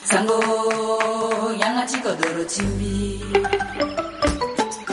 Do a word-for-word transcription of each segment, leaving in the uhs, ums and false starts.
Sango, yanga ti kodoro ti mbi.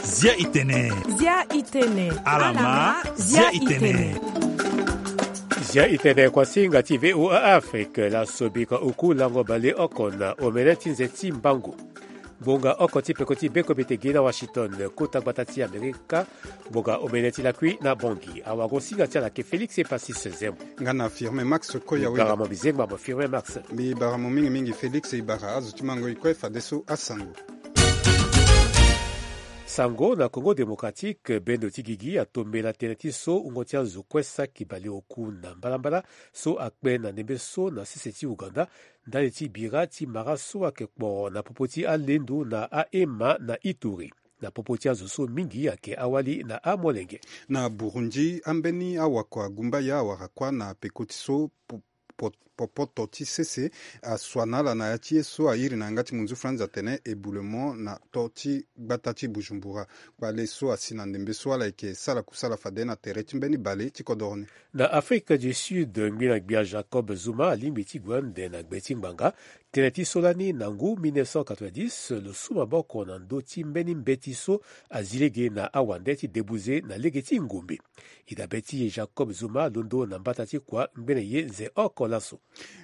Zia itene. Zia itene. Alama, zia itene. Zia itene kuasinga ti V O A Afrique, la sobika oku lango baleoko na omene ti nze ti mbangu. Ngonga oko ti peko ti beko bete gi na Washington, kota gbata ti Amerika. Ngonga omene ti lakui na Bangui. Awago singa ti ala ke Félix Epasis Zembo. Nga na Firmin Max Koya. Wega mo bizengba mo Firmin Max. Mbi bara mo mingi mingi Félix, e bara azo ti mango e kue fadeso asango. Sango na Congo Démocratique, bendo ti gigi atombela tënë ti so wungo ti azo kue saki baleoku na mbalambala so akpe na ndembe so na sese ti Ouganda, ndali ti bira ti mara so ayeke kporo na popo ti alendo na aema na Ituri. Na popo ti azo so mingi ayeke awali na amolenge. Na Burundi, ambeni awakua gumbaya awara kuâ na peko ti so po- po- popoto ti sese asua na ala na ya ti ye so airi na yanga ti munzu franz atene éboulement na to ti gbata ti Bujumbura. Kpale so asi na ndembe so ala yeke sara kusala fade na tere ti mbeni bale ti kodoro ni. Na Afrique du Sud, ngbina gbia Jacob Zuma alingbi ti gue ande na gbe ti ngbanga. Tënë ti so lani na ngu mille neuf cent quatre-vingt-dix, lo su maboko na ndö ti mbeni mbeti so azi lege na awande ti debuze na lege ti ngombe. E dabe ti e Jacob Zuma alondo na mbata ti kua ngbene ye nze oko laso.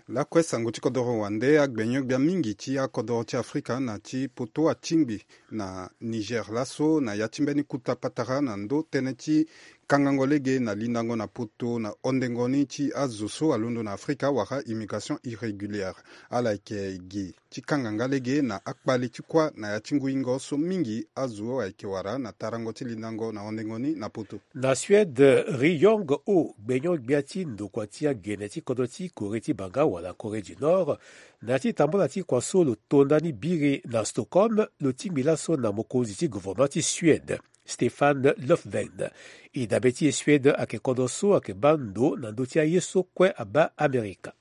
Lakue sango ti kodoro wande, agbenyo-gbia mingi ti akodoro ti Afrika na ti poto atingbi na Niger laso na ya ti mbeni kuta patara na ndö tënë ti kangango lege na lindango na poto na hondengo ni ti azo so alondo na Afrika wala immigration irrégulière. Ala yeke gi ti kanga nga lege na akpale ti kuâ na ya ti nguingo so mingi azo ayeke wara na tarango ti lindango na hondengo ni na poto. Na Suède, Ri Yong Ho, gbenyo-gbia ti ndokua ti agene ti kodro ti Corée ti banga wala Corée du Nord, na ya ti tambula ti kua so lo to ndani biri na Stockholm, lo tingbi laso na mokonzi ti gouvernement ti Suède, Stefan Löfven. E dabe ti e Suède ayeke kodro so ayeke baa ndo na ndö ti aye so kue abaa Amerika.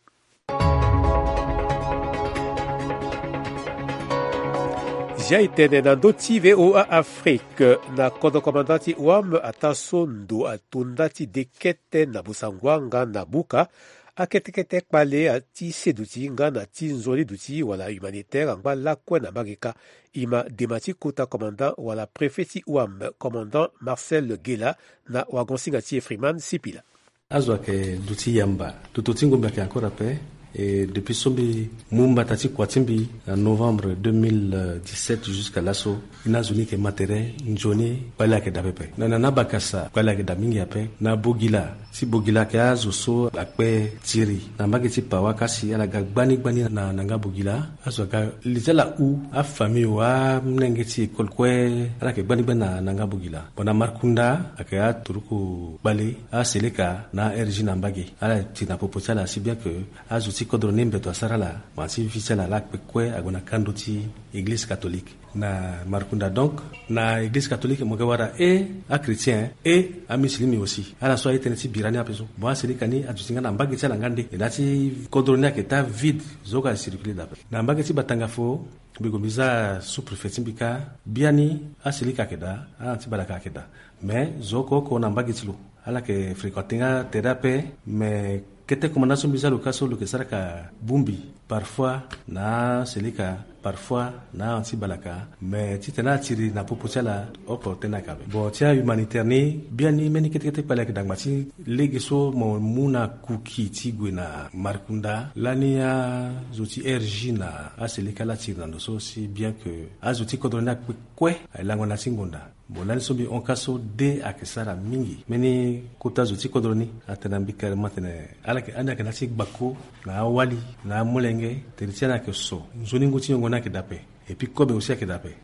Zia e tene na ndö ti V O A Afrique, na kodro komanda ti O A M ataa so ndo ato nda ti dekete na Bossangoa nga na Buka. Akete kete kpale ti se duti nga na ti nzoni duti wala humanitaire angba lakue na mbage kâ. E ma dema ti kota commandant wala préfet ti O A M, commandant Marcel Gela, na wagon-singa ti e Freeman Sipila. Azo ayeke duti yamba. Toto ti ngombe ayeke encore ape. Et depuis so mbi mu mbata ti kua ti mbi na novembre deux mille dix-sept jusqu'à laso, ni azo ni yeke ma tere nzoni kpale ayeke daa pepe. Na, na, na Bakasa kpale ayeke daa mingi ape. Na Bogila, si Bogila ayeke azo so akpe tiri na mbage ti Pawa, kasi ala ga gbani gbani na, na nga Bogila. Azo aga li ti ala hu afamille wa amolenge ti école kue, ala yeke gbani gbani na, na nga Bogila. Bon, na Markunda ayeke aturuku kpale, aseleka na R J na mbage. Ala tiri na popo ti ala si bien que azo ti kodro ni mbeto asara ala, ma ti vie ti ala lakue kue ague na kando ti église catholique. Na Markunda donc, na église catholique mo yeke wara e achrétien e amusulmi aussi. Ala so aye tënë ti bira ni ape so. Bon, aseleka ni aduti nga na mbage ti ala nga nde. E na ya ti kodro ni ayeke daa vide, zo oko acircule daa ape. Na mbage ti Batanga fo, mbi gue mbi za sous-préfet ti mbi kâ, biani aseleka ayeke daa, anti balaka ayeke daa. Mais zo oko oko na mbage ti lo ala yeke fréquenter nga tere ape. Mais kete commandant so mbi za lo kâ so lo yeke sara ka bongbi, parfois na aseleka, parfois na anti balaka. Mais titene atiri na popo ti ala, oko tënë ayeke ape. Bon, ti ahumanitaire ni, biani mbeni kete kete kpale ayeke daa ngba ti lege so mo mu na kuki ti gue na Markunda. Lani azo ti R J na aseleka ala tiri na ndo so, si bien que azo ti kodro ni akpe kue aye lango na ya ti ngonda. Bon, lani so mbi hon kâ so de ayeke sara mingi. Mbeni kota zo ti kodro ni atene na mbi carrément atene ala yeke, ani ayeke na ya ti gbako na awali na amolenge, tere ti ani ayeke so. Nzoni ngu ti nyongo ni ayeke daa ape. Et puis kobe aussi ayeke daa ape.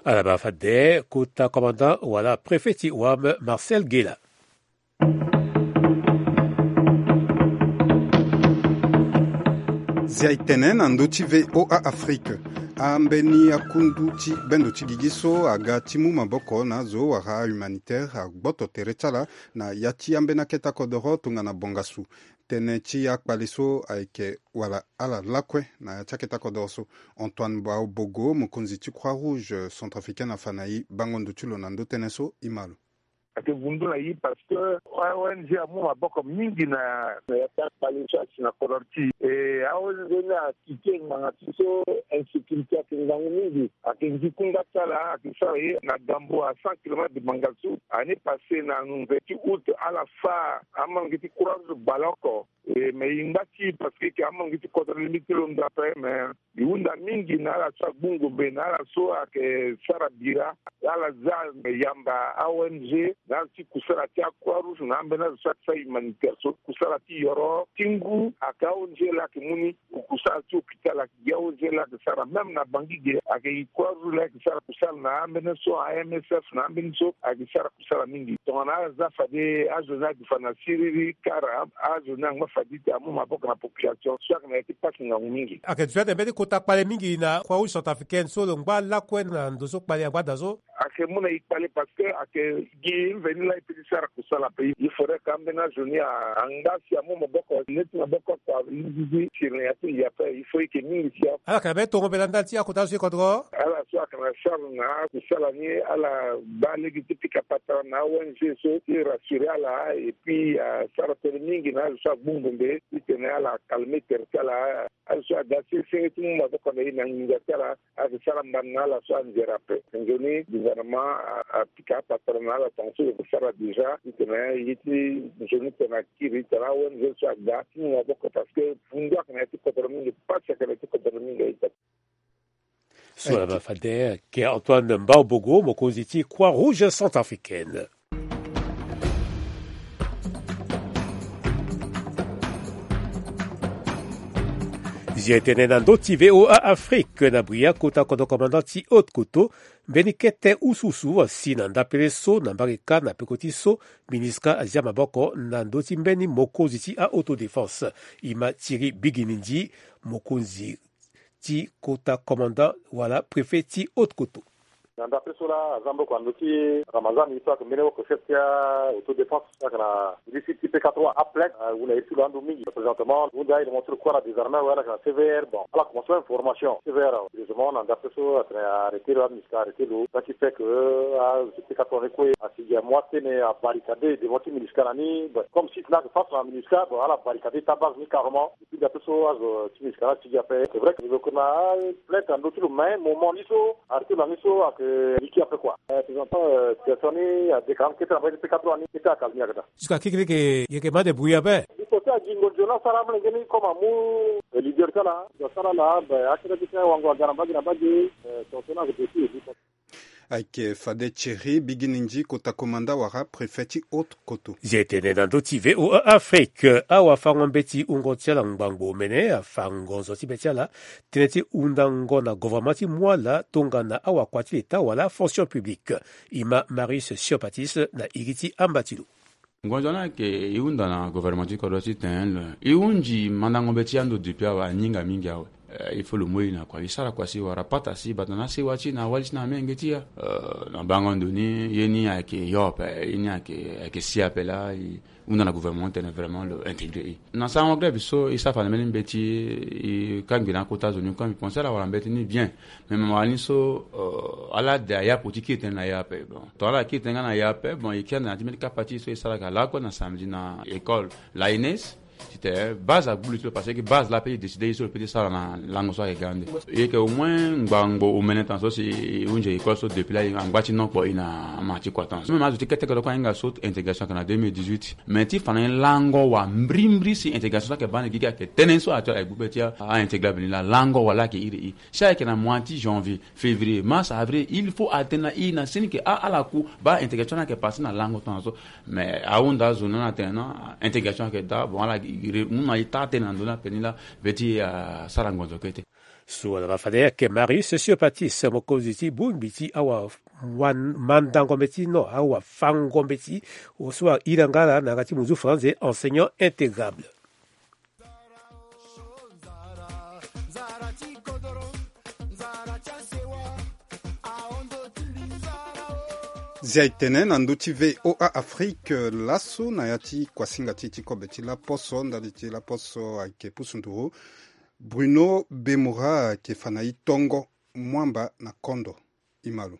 Ala baa fade kota commandant wala préfet ti O A M, Marcel Gela. Zia e tene na ndö ti V O A Afrique. Ambeni akundu ti bendo ti gigi so aga ti mu maboko na azo wala ahumanitaire agboto tere ti ala na ya ti ambeni akete kodoro tongana bongasu. Tënë ti akpale so ayeke wala ala lakue na ya ti akete kodoro so. Antoine Baobogo, mokonzi ti Croix Rouge Centrafricaine afa na e bango ndo ti lo na ndö tënë so, e ma lo. Ayeke vundu na ye parce que a-ong amu maboko mingi na ya ti akpale so asi na kodro ti e. A-ong ni akite ngbanga ti so insécurité ayeke ngangu mingi. Ayeke ngi kunda ti ala ayeke sara ye na gambo à cent kilomètres de Bangassou. Année passée na nze ti août ala fa amange ti croix rouge baleoko. E mais e ngba ti parce que e yeke amange ti kodro lingbi ti londo ape mais e hunda mingi na ala so agbu ngombe na ala so ayeke sara bira. Ala za yamba a-ong na ala ti kusala ti acroix rouge na ambeni azo so ayeke sara humanitaire so kusala ti yoro ti ngu ayeke a-ong laa ayeke mu ni. Kusala ti hôpital ayeke gi a-ong laa ayeke sara même na bangi ge ayeke croix rouge laa ayeke sara kusala na ambeni so a-msf na ambeni so ayeke sara kusala mingi. Tongana ala za fade azo ni ayeke fa na siriri kara azo ni angba fade ti amu maboko na population so ayeke na ya ti pasi ngangu mingi. Ayeke duti ate mbeni kota kpale mingi na croix rouge centrafricaine so lo ngba lakue na ndo so kpale angba daa so. Ayeke mu na e kpale parce que ayeke gi mveni laa e peut ti sara kusala ape. Il faudrait que ambeni azo ni angba si amu maboko neti maboko kua. Zizi siri na ya ti ngia ape il faut e yeke mingi si a. Ala yeke na mbeni tongo mbela ndali ti akota azo so e kodro. Ala so ayeke na charge na akusala ni ala baa lege ti pika patara na a-ong so ti rassurer ala et puis asara tënë mingi na azo so agbu ngombe titene ala calmer tere ti ala. Azo so aga senge senge ti mu maboko na e na nginza ti ala. Ayeke sara mbani na ala so anzere ape. Nzoni gouvernement apika apatara na ala tongaso e yeke sara déjà titene ye ti nzoni tene akiri titene a-ong so aga ti mu maboko parce que vundu ayeke na ya ti kodro mingi, pasi ayeke na ya ti kodro mingi aita. So laa fade ayeke Antoine Mbaobogo, mokonzi ti Croix Rouge Centrafricaine. Zia e tene na ndö ti V O A Afrique na bria kota kodro commandant ti Haute Koto, mbeni kete usuusu asi na ndapele so na mbage kâ na peko ti so MINUSCA azia maboko na ndö ti mbeni mokonzi ti a-autodéfense. E ma Thierry Biginindi, mokonzi ti kota commandant wala préfet ti Haute Koto. Na ndapele so laa aza maboko na ndö ti Ramazan, ye so ayeke mbeni oko chef ti a-autodéfense. Ayeke na district ti P K trois, aplainte ahunda ye ti lo ando mingi. Présentement lo hunda aye na mo ti lo kue ala désarmé awe, ala yeke na C V R. Bon, ala commencé même formation C V R. Heureusement na ndapele so atene arrêté lo, MINUSCA arrêté lo. Ça qui fait que azo ti P K trois ni kue asi gi amu atene abarricadé devant ti MINUSCA na ni. Bon, comme site ni ayeke face na MINUSCA, bon, ala barricadé ti abase ni carrément. Ti da ti so azo ti MINUSCA la ti gi ape. C'est vrai que lo yeke na plainte na ndö ti lo, mais moment ni so arrêté lo na ni so ayeke liki ape quoi. Présentement situation ni adécalé kete na mbage ti P K trois ni, kete akalmi ayeke daa. Jusqu'à kekele ke yeke ma débrouiller ape. Il faut ti agingo nzoni asara amolenge ni comme amu leader ti ala. Asara ala akete ti wango aga na mbage na mbage. Tongaso ni ayeke possible. Ayeke fade Thierry Biginindi, kota komanda wala préfet ti Haute Koto. Zia e tene na ndö ti V O A Afrique, awafango-mbeti wungo ti ala ngbangbo omene afa ngonzo ti be ti ala tënë ti hundango na gouvernement ti mu ala tongana awakua ti leta wala fonction publique. E ma Marius Siopatis na iri ti amba ti lo. Ngonzo ni ayeke e hunda na gouvernement ti kodro titene e hunzi mandango mbeti ando depuis awe, aninga mingi awe. Eh, il faut lo mu e na kua, e sara kua si wara pata si bata na asewa ti e na awali ti e na amenge ti e. Eh, na bango ndo ni ye ni ayeke yo ape, ye ni ayeke, ayeke si ape laa e hunda na gouvernement titene vraiment lo intégrer e. Na sarango grève so e sara fa na mbeni mbeti, e kangbi na akota zo ni kue, mbi pense ala wara mbeti ni bien. Mais mama wani so, euh, ala de aya poti kiri tënë na ya ape. Bon, tongana ala kiri tënë nga na ya ape, bon, e kiri ande na ya ti mbeni kapa ti e so e sara ga lakue na samedi na école, l'A N S. Titene base agbu li ti lo parce que base la ape e décide ye so lo peut ti sara na lango so ayeke ga ande. E yeke au moins ngbangbo omene tongaso si e hunzi école so depuis la e angba ti nokpo e na ama ti kua tongaso. Même azo ti kete kue lo kue ahinga so intégration ayeke na deux mille dix-huit. Mais ti fa na e lango wa mbrimbri si intégration so ayeke baa ande gigi ayeke tënë so actuel ayeke gbu be ti a, a intégrable ni la lango wa la ayeke iri e. Si ayeke na mois ti janvier, février, mars, avril, il faut atene na e na seni ke a ala ku baa intégration ni ayeke passé na lango tongaso. Mais ahunda azo ni na tene na intégration ayeke daa, bon, ala mu na e taa tënë na ndö ni ape ni la be ti asara ngonzo kete. So ala ma fade ayeke Marius Siopatis, mokonzi ti bongbi ti awamandango mbeti, non, awafango mbeti, so ahira nga ala na yanga ti munzu français enseignant intégrable. Zia e tene na ndö ti V O A Afrique laso na ya ti kuasinga ti e ti kobe ti laposo, ndali ti laposo ayeke pusu nduru. Bruno Bemora ayeke fa na e tongo mwamba na kondo. E ma lo.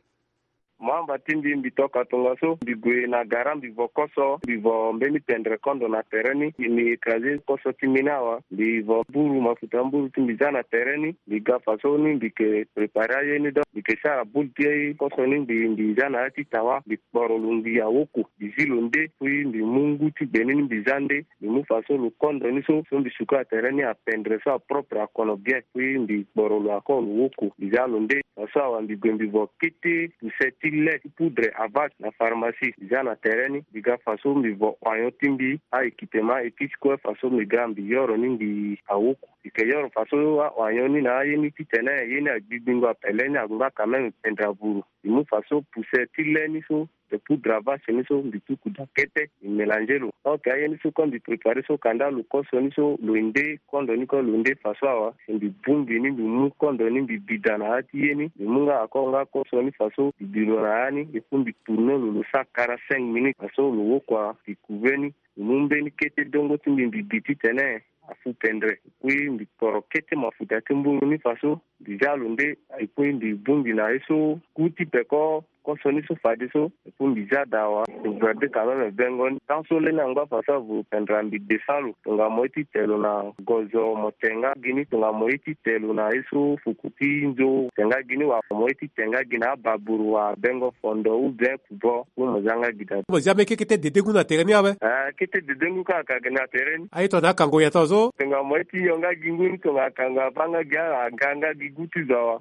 Mo amba ti mbi, mbi toka tongaso, mbi gue na gara, mbi vo koso, mbi vo mbeni pendre kondo na tere ni, mbi écraser koso ti mbi ni awa, mbi vo mburu, mafuta mburu ti mbi za na tere ni, mbi ga faso ni, mbi ke préparer aye ni, donc mbi ke sara boule ti koso ni, mbi, mbi za na ya ti tawa, mbi kporo lo, mbi awoko, mbi zi lo nde, puis mbi mu ngu ti gbe ni, mbi za nde, mbi mu faso lo kondo ni so, so mbi suka na tere ni apendre so apropre akono bien, puis mbi kporo lo encore lo woko, mbi za lo nde. Faso awa mbi gue mbi vo kete puse ti lait ti poudre Avast na pharmacie, mbi za na tere ni, mbi ga faso mbi vo oignon ti mbi, a-équipement, épice kue, faso mbi ga mbi yoro ni mbi awoko. Mbi ke yoro faso a-oignon ni na aye ni titene ye ni agbigbingo apele ni angba quand même pendre avuru. Mbi mu faso puse ti lait ni so, de poudre Avast ni so, mbi tuku daa kete, mbi mélanger lo. Ok, aye ni so, quand mbi préparer so, kanda lo koso ni so, lo nde, kondo ni kue lo nde faso awa, si mbi bongbi ni, mbi mu kondo ni, mbi bi daa na ya ti ye ni, mbi mu nga encore nga koso ni faso, mbi bi lo na ya ni, et puis mbi tourner lo, lo sara quarante-cinq minutes, faso lo woko, mbi couver ni, mbi mu mbeni kete dongo ti mbi, mbi bi titene afu pendre. Puis mbi kporo kete mafuta ti mburu ni faso, mbi za lo nde, et puis mbi bongbi na ye so, ku ti peko, koso ni so fadeso, et puis mbi za daa awa, mbi garder quand même bengo ni. Tant so leni angba faso avuru pendre, mbi descend lo, tongana mo ye ti te lo na gozo, mo te nga gi ni, tongana mo ye ti te lo na ye so fuku ti nzo, te nga gi ni, wala mo ye ti te nga gi na ababuru wala bengo fondo ou bien kubo, ou mo za nga gi daa. Mo zia mbeni kete dedengu na tere ni awe? Eh, kete dedengu kaka gi na tere ni. Aye tongana akango ya taa so? Tongana mo ye ti yo nga gi ngu ni, tongana akango abaa nga gi, aga nga gi gu ti zo awa.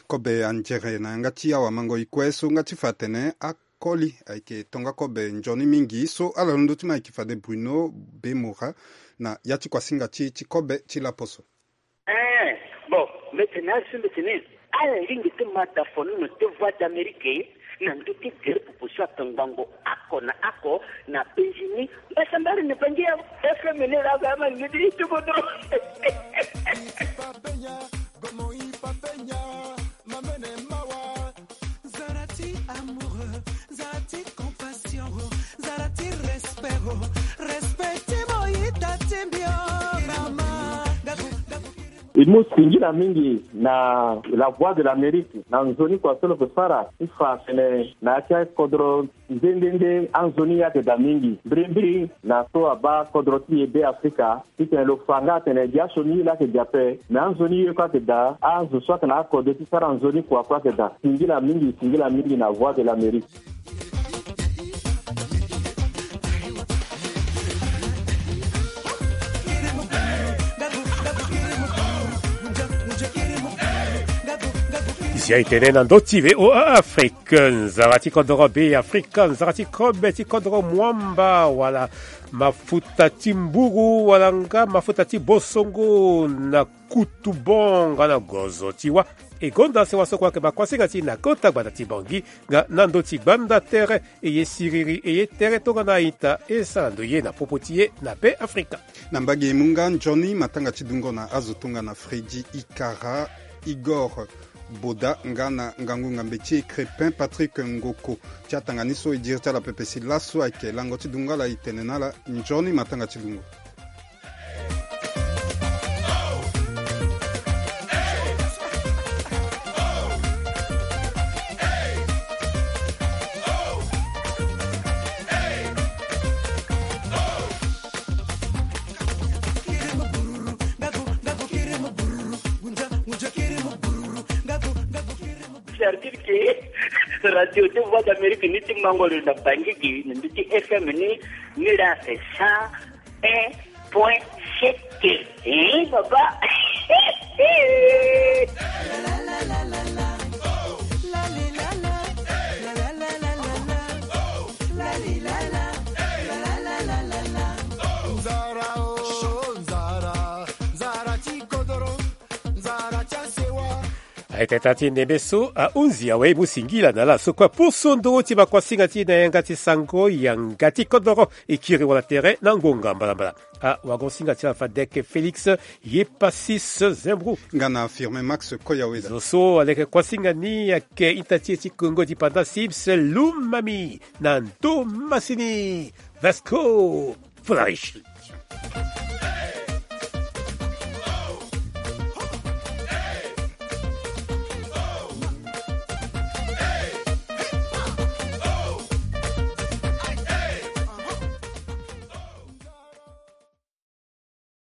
Kobe anzere na yanga ti awamango-e kue so nga ti fa atene akoli ayeke tongakobe nzoni mingi so ala londo ti mo ayeke fade Bruno Bemora na ya ti kuasinga ti e ti kobe ti laposo. Eh, bon, mbi tene asi mbi tene ala lingbi ti ma dafono na te Voix d'Amérique na ndö ti gere popo so atongbango oko na oko na penzi ni. Mbasambari na Bangi ya F M ni laa, ma ni ti kodro. Zara ti amour, zara ti compassion, zara ti respect, respect ti mo ita ti mbi o, mama. E mu singila mingi na La Voix de l'Amérique na nzoni kua so lo ke sara ti fa atene na ya ti akodro nde nde nde anzoni ye ayeke daa mingi. Mbirimbiri na so abaa kodro ti e Be Afrika, titene lo fa nga atene dia sioni ye laa ayeke daa ape, me anzoni ye kue ayeke daa, azo so ayeke na akode ti sara nzoni kua kue ayeke daa. Singila mingi, singila mingi na Voix de l'Amérique. Zia e tene na ndö ti V O A Afrique, nzara ti kodro Be Afrika, nzara ti kobe ti kodro mwamba, wala mafuta ti mburu, wala nga mafuta ti bosongo na kutu bonga na gozo ti wa. E gonda sewa so kue ayeke baa kuasinga ti e na kota gbanda ti Bangi nga na ndö ti gbanda tere. E ye siriri, e ye tere tongana a-ita, e sara ndo ye na popo ti e na Be Afrika. Na mbage e mu nga nzoni matanga ti dungo na azo tongana Freddy Ikara, Igor Boda nga na ngangu ngambe ti e Crépin Patrick Ngoko. Ti atanga ni so e diri ti ala pepe si laso ayeke lango ti dungo ala e tene na ala nzoni matanga ti dungo. C'est-à-dire que Radio de Voix d'Amérique ni ti mango lo na Bangi gi, na ndö ti F M ni, ni la c'est cent un point sept. Hein, papa? Nzara o, nzara, nzara ti kodoro, nzara ti asewa. Aye tata ti ndembe so ahunzi awe, e mu singila na ala so kue aposo ndö ti bakuasinga ti e na yanga ti sango yanga ti kodoro. E kiri wala tere na ngonga mbalambala. Awagonsinga ti ala fadeke Félix Yepasis Zembrou. Nga na Firmin Max Koyaweda. Zo so aleke kuasinga ni ayeke ita ti e ti Kongo ti panda Sims Lumami na ndo masini. Vasco Fularichi.